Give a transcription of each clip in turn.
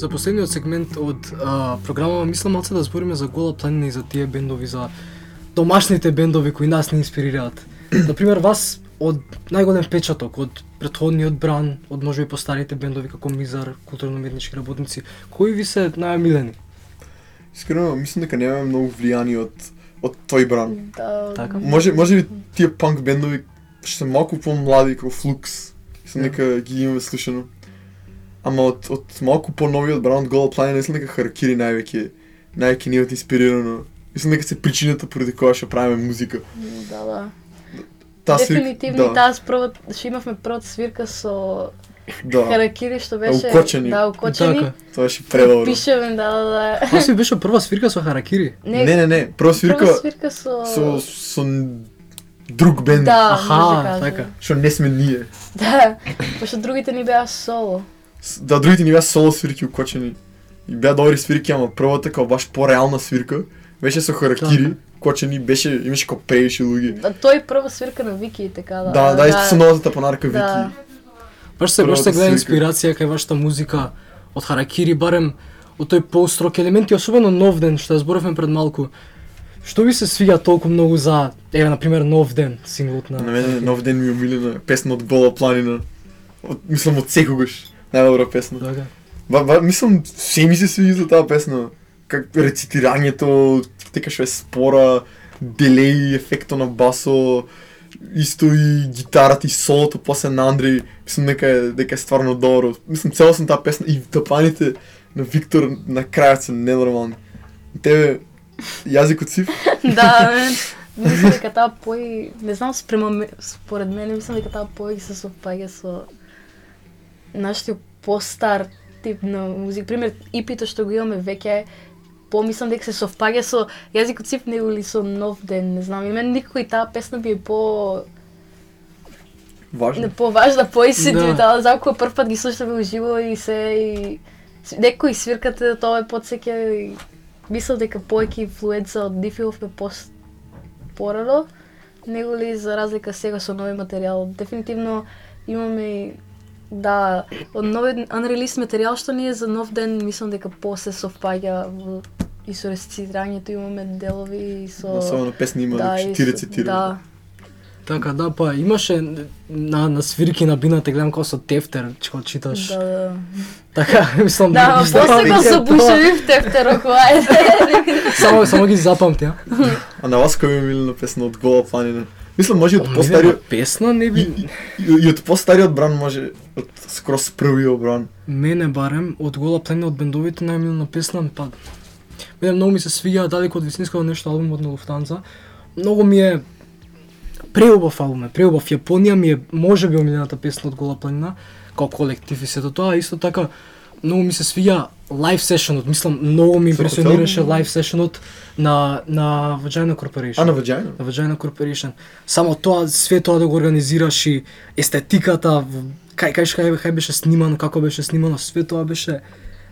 За последниот сегмент од програмава мислам малце да збориме за Гола планина и за тие бендови, за домашните бендови кои нас не инспирираат. Например, вас од најголем печаток, од претходниот Бран, од можеби постарите бендови како Мизар, културно-уметнички работници, кои ви се најомилени? Искрено, мислам дека немаме многу влијани од тој Бран. Да. Така? Може би тие панк бендови што се малку помлади како Флукс, мислам дека ги имаме слушано. Ама од малку поновиот Бран од Гола планина, мислам дека Харакири највеќе ни од инспирирано. Мислам дека се причината поради која што правиме музика. Да. Таа Дефинитивно таа што имавме првата свирка со Харакири што беше укочени. Да, укочени. Така. Тоа беше превално. Пишеме, да. Тоа си беше прва свирка со Харакири. Не, прва свирка со друг бенд. Да, аха, така. Што не сме ние. Да, пошто другите ни беа соло. Да, другите ни беа соло свирки укочени. И беа добри свирки, ама првата како баш пореална свирка беше со Харакири, кочени, имаше како преviše луѓе. Да, тој прва свирка на Вики, така да. Да, исто со новата тапанарка Вики. Баш се гледа инспирација кај вашата музика од Харакири, барем од тој пост-рок елементи, особено Нов ден, што ја зборавме пред малку. Што ви се свиѓа толку многу за, например, Нов ден, синглот на... На мене Нов ден ми е омилена песна од Гола планина. Мислам од секогаш. Најдобра песна. Така. Мислам, се ми се свиѓа за таа песна. Как рецитирањето, дека што е спора, делеј, ефекто на басо, исто и гитарата и солото после на Андреј, мислам дека е стварно добро. Мислам целосно таа песна и тапаните на Виктор на крајот се ненормални. Тебе јазикот сив? Да, мислам дека таа пој, не знам според мене, мислам дека таа пој се совпаѓа со нашиот постар тип на музика. Пример, ипито што го имаме веќе помислам дека се совпаѓа со јазикот сив или со Нов ден, не знам. И мен никој таа песна би е поважна, поисетив, за кога прв пат ги слушаме уживо и некои свиркате тоа е потсеќа и мислам дека повеќе инфлуенца од Дифилов ме порано, него ли за разлика сега со нови материјал. Дефинитивно имаме од нови unreleased материјал што ни е за Нов ден, мислам дека се совпаѓа и со рецитирањето, имаме делови и со... Особено песни има дека ти рецитира. Да. Така, да, па имаше на свирки на бината, гледам како со тефтер, што читаш. Да. Така, мислам... Да, после го забушеви в тефтерот, Само ги запамти, А на вас кој е милена песна од Гола планина? Мислам, може од постариот... Песна не би... И од постариот Бран може, од скрос првиот Бран. Мене барем, од Гола планина од бендовите најмилна песна, па... Мене многу ми се свиѓа далеко од вистинското нешто албумот на Луфтанза. Многу ми е преубав албум, преубав. Јапонија ми е можеби омилената песна од Гола планина, као колектив и сето тоа, исто така многу ми се свиѓа лайв сешенот, мислам, многу ми импресионираше лайв сешенот на Vagina Corporation. На Vagina? На Vagina Corporation. Само тоа, све тоа да го организираш и естетиката, кај беше снимано, како беше снимано, све тоа беше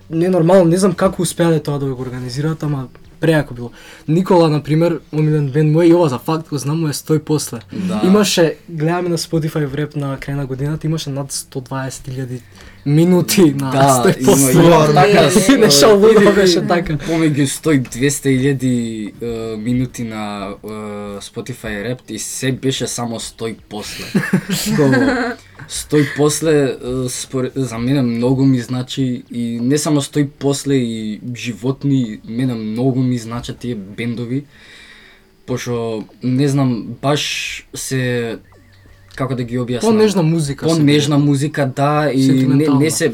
ненормално, не знам како успеале тоа да го организираат, ама прејако било. Никола, например, омилен бенд мој, и ова за факт го знам, му е Стој после. Да. Имаше, гледаме на Spotify вреп на крај на годината, имаше над 120.000 минути на Стој после. Нешто лудо беше така. Помеѓу 100-200.000 минути на Spotify реп и се беше само Стој после. Стој после за мене многу ми значи и не само Стој после и животни, мене многу ми значат тие бендови, пошто не знам, баш се како да ги објаснам. Понежна музика. Понежна музика, да, и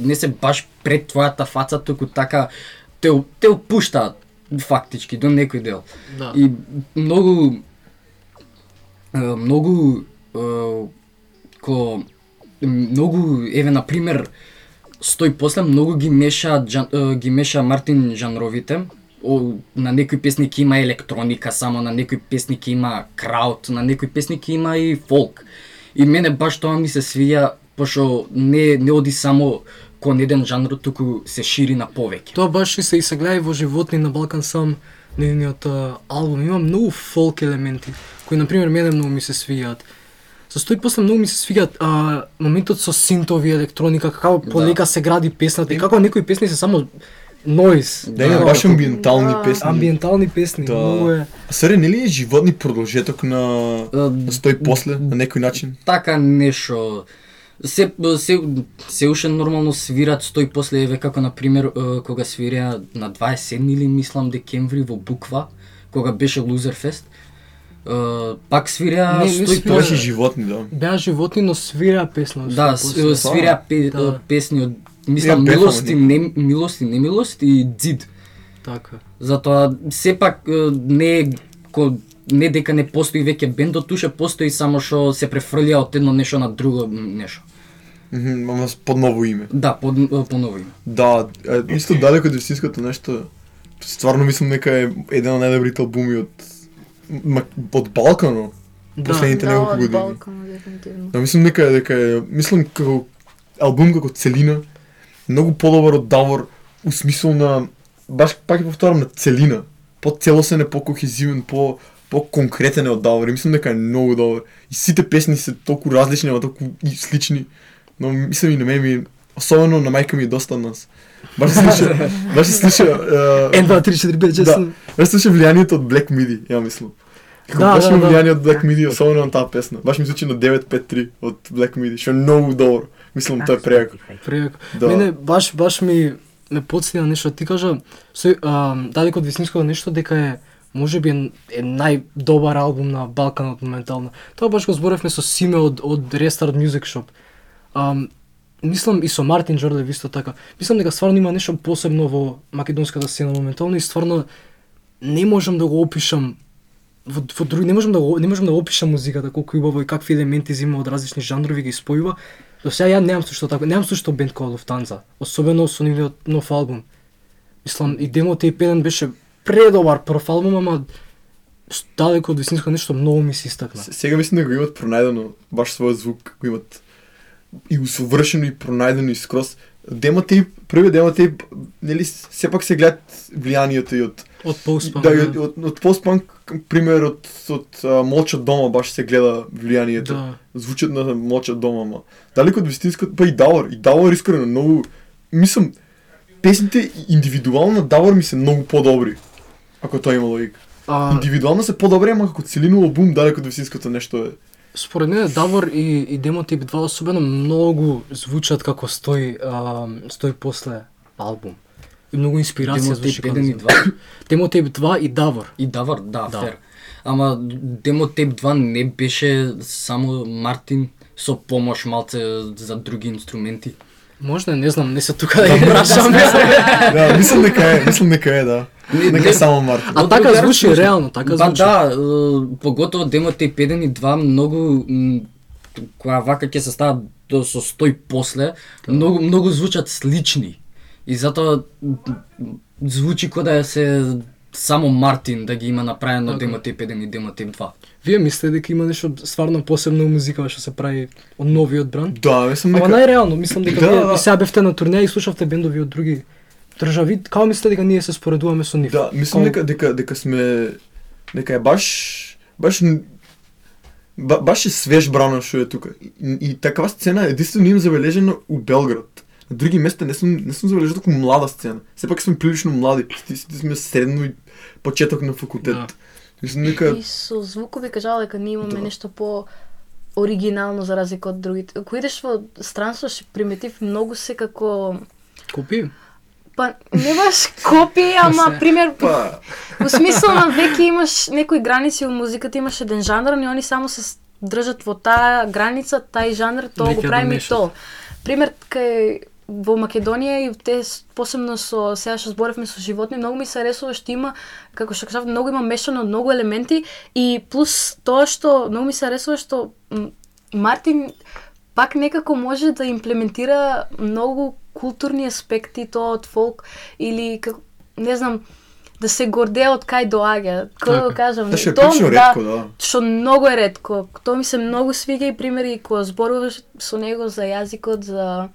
не се баш пред твојата фаца, туку така те опуштаат фактички до некој дел. Да. И многу еве на пример Стој после многу ги меша Мартин жанровите. На некои песни ќе има електроника само, на некои песни ќе има крауд, на некои песни ќе има и фолк. И мене баш тоа ми се свиѓа, пошто не оди само кон еден жанр, туку се шири на повеќе. Тоа баш и се гледа и во Животни на Балкан сам, нивниот албум има многу фолк елементи, кои на пример мене многу ми се свиѓаат. Со стои после многу ми се свиѓа моментот со синтови, електроника, како полека се гради песната и како некои песни се само noise. Да, има баш амбиентални песни. Амбиентални песни, многу е. А саре, нели е животни продолжеток на стои после на некој начин? Така нешто. Се уште нормално свират стои после еве како на пример кога свирија на 27 или мислам декември во Буква, кога беше Лузерфест. Пак свирија стои Тоа беше животни, да. Беа животни, но свираа песна. Да, свирија песни од мислам милост и немилост и дзид. Така. Затоа сепак не дека не постои веќе бендот, туше постои само што се префрлија од едно нешто на друго нешто. Ама под ново име. Да, по ново име. Да, исто далеко од вистинското нешто. Стварно мислам дека е еден од најдобрите албуми од Балкано. Последните неколку години. Да, од Балкано дефинитивно. Да, мислам мислам како албум како целина многу подобар од Давор у смисол на баш пак ќе повторам на целина, поцелосен е, покохезивен, по-конкретен е од Давор. И мислам дека е многу добар. И сите песни се толку различни, ама толку и слични. Но мислам и на мене особено на мајка ми е доста од нас. Баш се слуша 1, 2, 3, 4, 5, 6. Да, баш се слуша влијанието од Black Midi, ја мислам. Баш има влијание од Black Midi, особено на таа песна. Баш ми звучи на 953 од Black Midi, што е многу добро. Мислам тоа е прејако. Прејако. Да. Мене баш ме потсети на нешто. Ти кажа, далеко од вистинското нешто дека е можеби е најдобар албум на Балканот моментално. Тоа баш го зборевме со Симе од Restart Music Shop. Мислам и со Мартин Джорлев исто така. Мислам дека стварно има нешто посебно во македонската сцена моментално и стварно не можам да го опишам во други, не можам да го опишам музиката колку убаво и какви елементи зема од различни жанрови ги спојува. До сега ја немам слушато така, немам слушато бенд кој Луфтанза, особено со нивниот нов албум. Мислам и Demo Tape 1 беше предобар прв албум, ама далеко од вистинско нешто многу ми се истакна. Сега мислам дека го имат пронајдено баш својот звук, го имат и усовршено и пронајдено и скроз. Првиот Demo Tape, нели сепак се гледат влијанието и од постпанк. Да, од постпанк, пример од Молчат дома баш се гледа влијанието. Да. Звучат на Молчат дома, ама далеко од вистинското, па и Давор искрено многу, мислам, песните индивидуално на Давор ми се многу подобри, ако тоа има логика. Индивидуално се подобри, ама како целино албум далеко од вистинското нешто е. Според мене Давор и Demo Tape 2 особено многу звучат како стои после албум. И многу инспирација звучи како Demo Demo Tape 2 и Давор. И Давор, да, фер. Ама Demo Tape 2 не беше само Мартин со помош малце за други инструменти. Можда, не знам, не се тука да ги прашам. Да, мислам дека е, да. Нека само Мартин. А така звучи реално, така звучи. Да, поготово Demo Tape 1 и 2 многу кога вака ќе се стават со стои после, многу звучат слични. И затоа звучи кога да се само Мартин да ги има направено Demo Tape 1 и Demo Tape 2. Вие мислите дека има нешто стварно посебно музика што се прави од новиот бранд? Да, мислам дека. Ама најреално, мислам дека вие сега бевте на турнеја и слушавте бендови од други држави, како мислите дека ние се споредуваме со нив? Да, мислам дека сме дека е баш е свеж брана што е тука. И такава сцена единствено имам забележена у Белград. На други места не сум забележал толку млада сцена. Сепак сме прилично млади, сите сме средно и почеток на факултет. Да. Мислам дека И со звукови кажала дека ние имаме нешто по оригинално за разлика од другите. Ако идеш во странство ще приметив многу се како Копи? Па не баш копи, ама пример во смисла на веќе имаш некои граници во музиката, имаш еден жанр, и они само се држат во таа граница, тај жанр, тоа го правиме и тоа. Пример кај во Македонија и те посебно со сега што зборевме со животни, многу ми се аресува што има, како што кажав, многу има мешано од многу елементи и плюс тоа што многу ми се аресува што Мартин пак некако може да имплементира многу културни аспекти тоа од фолк или како не знам да се гордее од кај доаѓа. Како да го кажам, тоа ретко, да. Што многу е ретко. Тоа ми се многу свиѓа и примери кога зборуваш со него за јазикот, за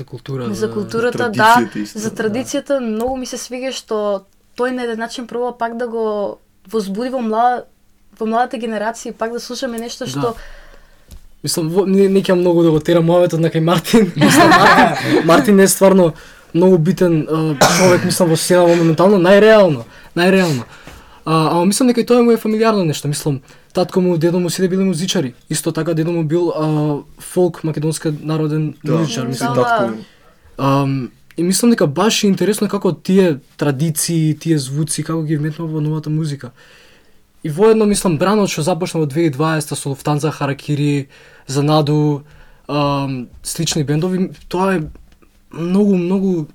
култура, за културата, да, за традицијата, многу ми се свиѓа што тој на еден начин пробува пак да го возбуди во младата генерација, пак да слушаме нешто што Мислам, не ќе многу да го терам мојавето на кај Мартин. Мислам, Мартин е стварно многу битен човек, мислам, во сцена моментално, најреално. Ама мислам дека и тоа му е фамилиарно нешто, мислам, татко му, дедо му сите биле музичари. Исто така дедо му бил фолк македонски народен музичар, мислам. И мислам дека баш е интересно како тие традиции, тие звуци, како ги вметнува во новата музика. И воедно, мислам, Бранот што започна во 2020 со Луфтанза, Харакири, Занаду, слични бендови, тоа е многу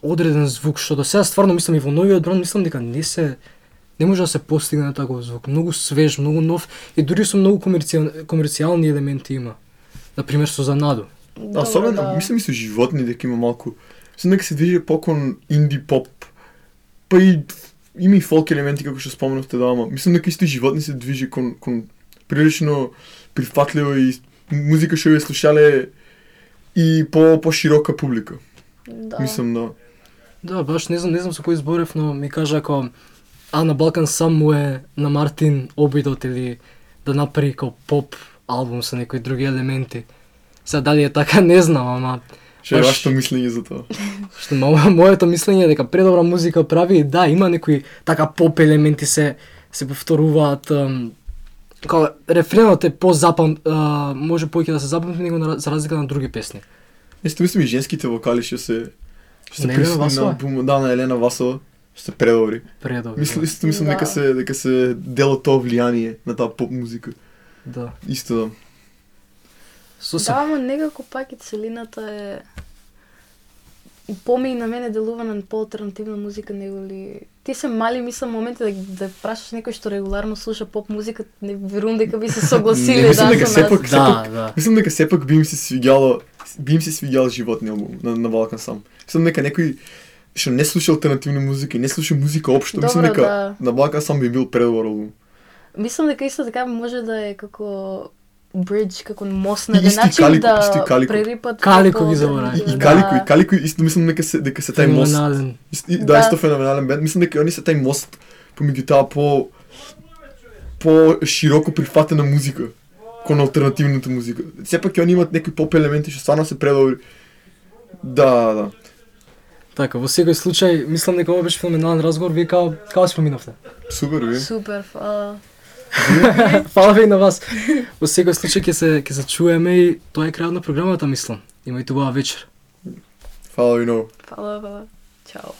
одреден звук, што до сега стварно мислам и во новиот бранд, мислам дека не може да се постигне таков звук, многу свеж, многу нов и дури со многу комерцијални елементи има. Например со Занаду. Особено, мислам и со животни дека има малку, мислам дека се движи покон инди поп, па и има и фолк елементи како што споменавте ама мислам дека исто животни се движи кон прилично прифатливо и музика што ја слушале и по широка публика. Да. Мислам да. Да, баш не знам со кој зборев, но ми кажа ако на Балкан сам му е на Мартин обидот или да направи како поп албум со некои други елементи. Сега дали е така не знам, ама Што е вашето мислење за тоа? Што моето мислење е дека предобра музика прави, да, има некои така поп елементи се повторуваат, како рефренот е може повеќе да се запамти него за разлика на други песни. Исто мислам и женските вокали што се Елена Васова? На Елена Васова што се предобри. Мислам дека се дел од тоа влијание на таа поп музика. Да. Исто да. Да, ама некако пак и целината е помеј на мене делува на по-алтернативна музика него ли. Ти се мали, мислам, моменти да прашаш некој што регуларно слуша поп музика, не верувам дека би се согласиле со нас. Мислам дека сепак би им се свиѓал животни албум на Балкан сам. Мислам дека некој што не слуша алтернативна музика и не слуша музика општо, мислам дека на Балкан сам би бил предобар албум. Мислам дека исто така може да е како бридж, како мост на начин да прерипат Калико ги заборави. И Калико исто мислам дека се тај мост. Да, исто феноменален бенд. Мислам дека они се тај мост помеѓу таа по широко прифатена музика кон алтернативната музика. Сепак ќе они имаат некои поп елементи што стварно се предобри. Да. Така, во секој случај, мислам дека ова беше феноменален разговор. Вие како споминавте? Супер, вие. Супер, фала. Фала ви на вас. Во секој случај ќе се чуеме и тоа е крајот на програмата, мислам. Имајте убава вечер. Фала ви много. Фала. Чао.